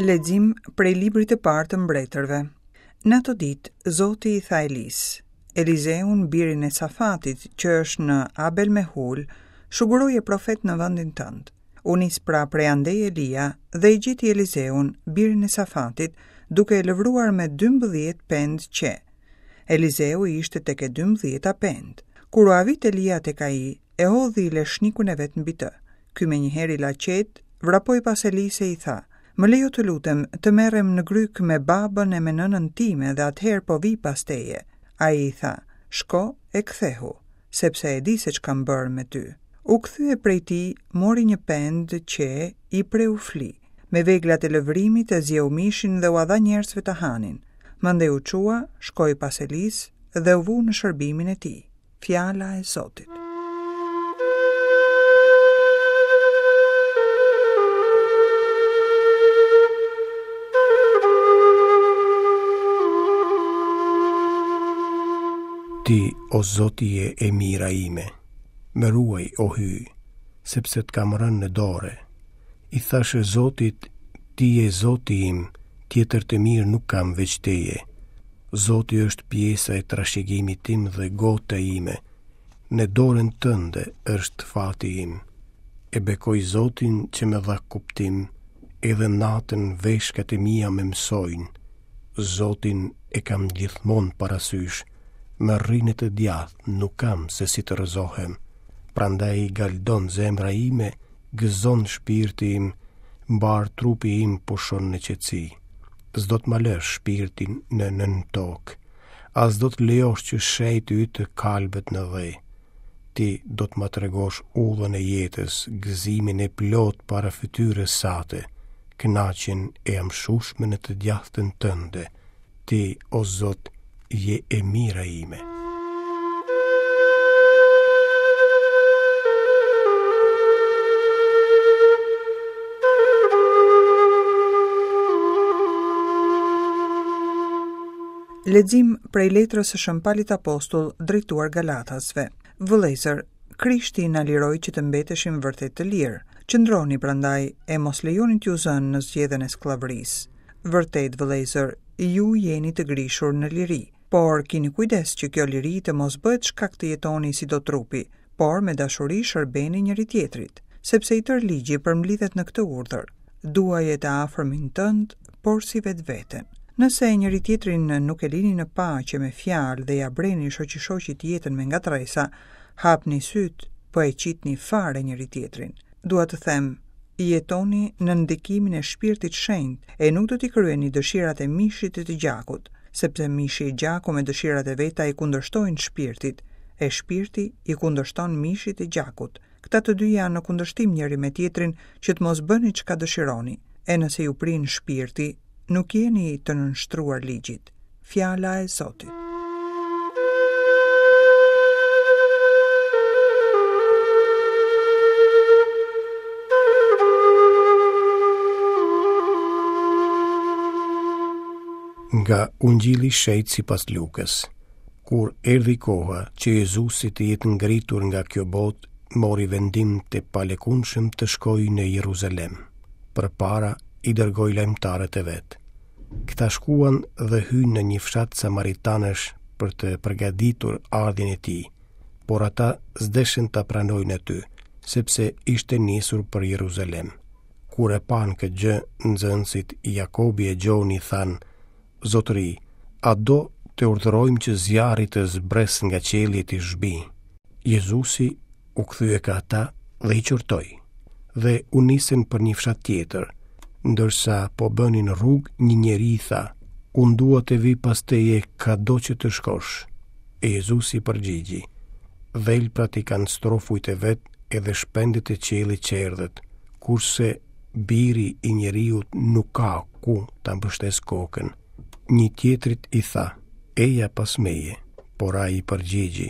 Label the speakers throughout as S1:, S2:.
S1: Lexim prej librit të parë të mbretërve. Në ato ditë, Zoti i tha Elisë, Elizeun, birin e Safatit, që është në Abel Mehul, shuguroje profet në vendin tënd. U nis pra prej andej Elia dhe e gjeti Elizeun, birin e Safatit, duke e lëvruar me 12 pendë qe. Elizeu ishte tek e dymbëdhjeta pendë. Kur u avit Elia tek ai, e hodhi leshnikun e vet mbi të. Ky menjëherë i la qetë, vrapoi pas Elisë e i tha, Më lejo të lutem, të merrem në grykë me babën e me nënën time dhe atëherë po vij pas teje. Ai i tha, Shko e kthehu, sepse e di se ç'kam bërë me ty. U kthye prej tij, mori një pendë qe, i preu fli. Me veglat e lëvrimit e zieu mishin dhe ua dha njerëzve të hanin. Mandej u çua, shkoi pas Elisë dhe u vu në shërbimin e tij. Fjala e Zotit.
S2: Ti, o Zot, je e mira ime, më ruaj, o Hyj, sepse të kam rënë në dorë. I thashë Zotit, ti je Zoti im, tjetër të mirë nuk kam veç teje. Zoti është pjesa e trashëgimit tim dhe gota ime. Në dorën tënde është fati im. E bekoj Zotin që më dha kuptim, edhe natën veshkat e mia më mësojnë. Zotin e kam gjithmonë parasysh, më rri në të djathtë, nuk kam se si të rrëzohem. Prandaj galdon zemra ime, gëzon shpirti im, mbarë trupi im pushon në qetësi. S'do të ma lësh shpirtin në nëntokë, as do të lejosh që i shenjti yt të kalbet në dhe. Ti do të ma tregosh udhën e jetës, gëzimin e plotë para fytyrës sate, kënaqjen e amshueshme në të djathtën tënde. Ti, o Zot, je e mira ime.
S1: Lexim prej letrës së Shën Palit Apostull drejtuar Galatasve. Vëllezër, Krishti na liroi që të mbeteshim vërtet të lirë. Qëndroni prandaj e mos lejoni t'ju zënë në zgjedhën e skllavërisë. Vërtet, vëllezër, ju jeni të grishur në liri, por kini kujdes që kjo liri të mos bëhet shkak të jetoni si do trupi, por me dashuri shërbeni njëri-tjetrit, sepse i tërë ligji përmblidhet në këtë urdhër, duaje të afërmin tënd, porsi vetveten. Nëse njëri-tjetrin nuk e lini në paqe me fjalë dhe ia breni shoqi-shoqit jetën me ngatërresa, hapni sytë, po e qitni fare njëri-tjetrin. Dua të them, jetoni nën ndikimin e Shpirtit Shenjt e nuk do t'i kryeni dëshirat e mishit e të gjakut, sepse mishi e gjaku me dëshirat e veta i kundërshtojnë Shpirtit, e Shpirti i kundërshton mishit e gjakut. Këta të dy janë në kundërshtim njëri me tjetrin që të mos bëni çka dëshironi. E nëse ju prin Shpirti, nuk jeni të nënshtruar ligjit. Fjala e Zotit.
S2: Nga Ungjilli i Shenjtë sipas Lukës. Kur erdhi koha që Jezusi të jetë ngritur nga kjo botë, mori vendim të palëkundshëm të shkojë në Jeruzalem. Përpara i dërgoi lajmëtarët e vet. Këta shkuan dhe hynë në një fshat samaritanësh për të përgatitur ardhjen e tij, por ata s'deshën ta pranojnë aty, sepse ishte nisur për Jeruzalem. Kur e panë këtë gjë, nxënësit Jakobi e Gjoni thanë, Zotëri, a do të urdhërojmë që zjarri të zbresë nga qielli e t'i zhbijë? Jezusi u kthye ka ata dhe i qortoi, dhe u nisën për një fshat tjetër. Ndërsa po bënin rrugë, një njeri i tha, Unë dua të vij pas teje kado që të shkosh. E Jezusi i përgjigji, Dhelprat i kanë strofujt e vet edhe shpendët e qiellit çerdhet, kurse biri i njeriut nuk ka ku ta mbështesë kokën. Një tjetrit i tha, Eja pas meje, por ai i përgjigji,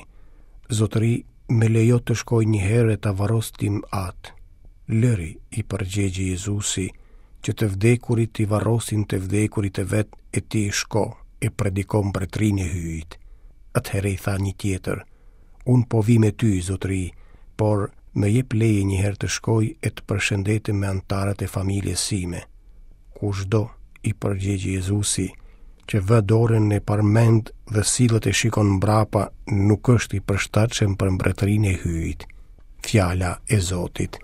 S2: Zotëri, më lejo të shkoj një herë e ta varros tim atë. Lëri, i përgjigji Jezusi, që të vdekurit t'i varrosin të vdekurit e vet e ti shko e prediko mbretërinë e Hyjit. Atëherë i tha një tjetër, Unë po vij me ty, zotëri, por më jep leje një herë të shkoj e të përshëndetem me anëtarët e familjes sime. Kushdo, i përgjigj Jezusi, që vë dorën në parmendë dhe sillet e shikon mbrapa, nuk është i përshtatshëm për mbretërinë e Hyjit. Fjala e Zotit.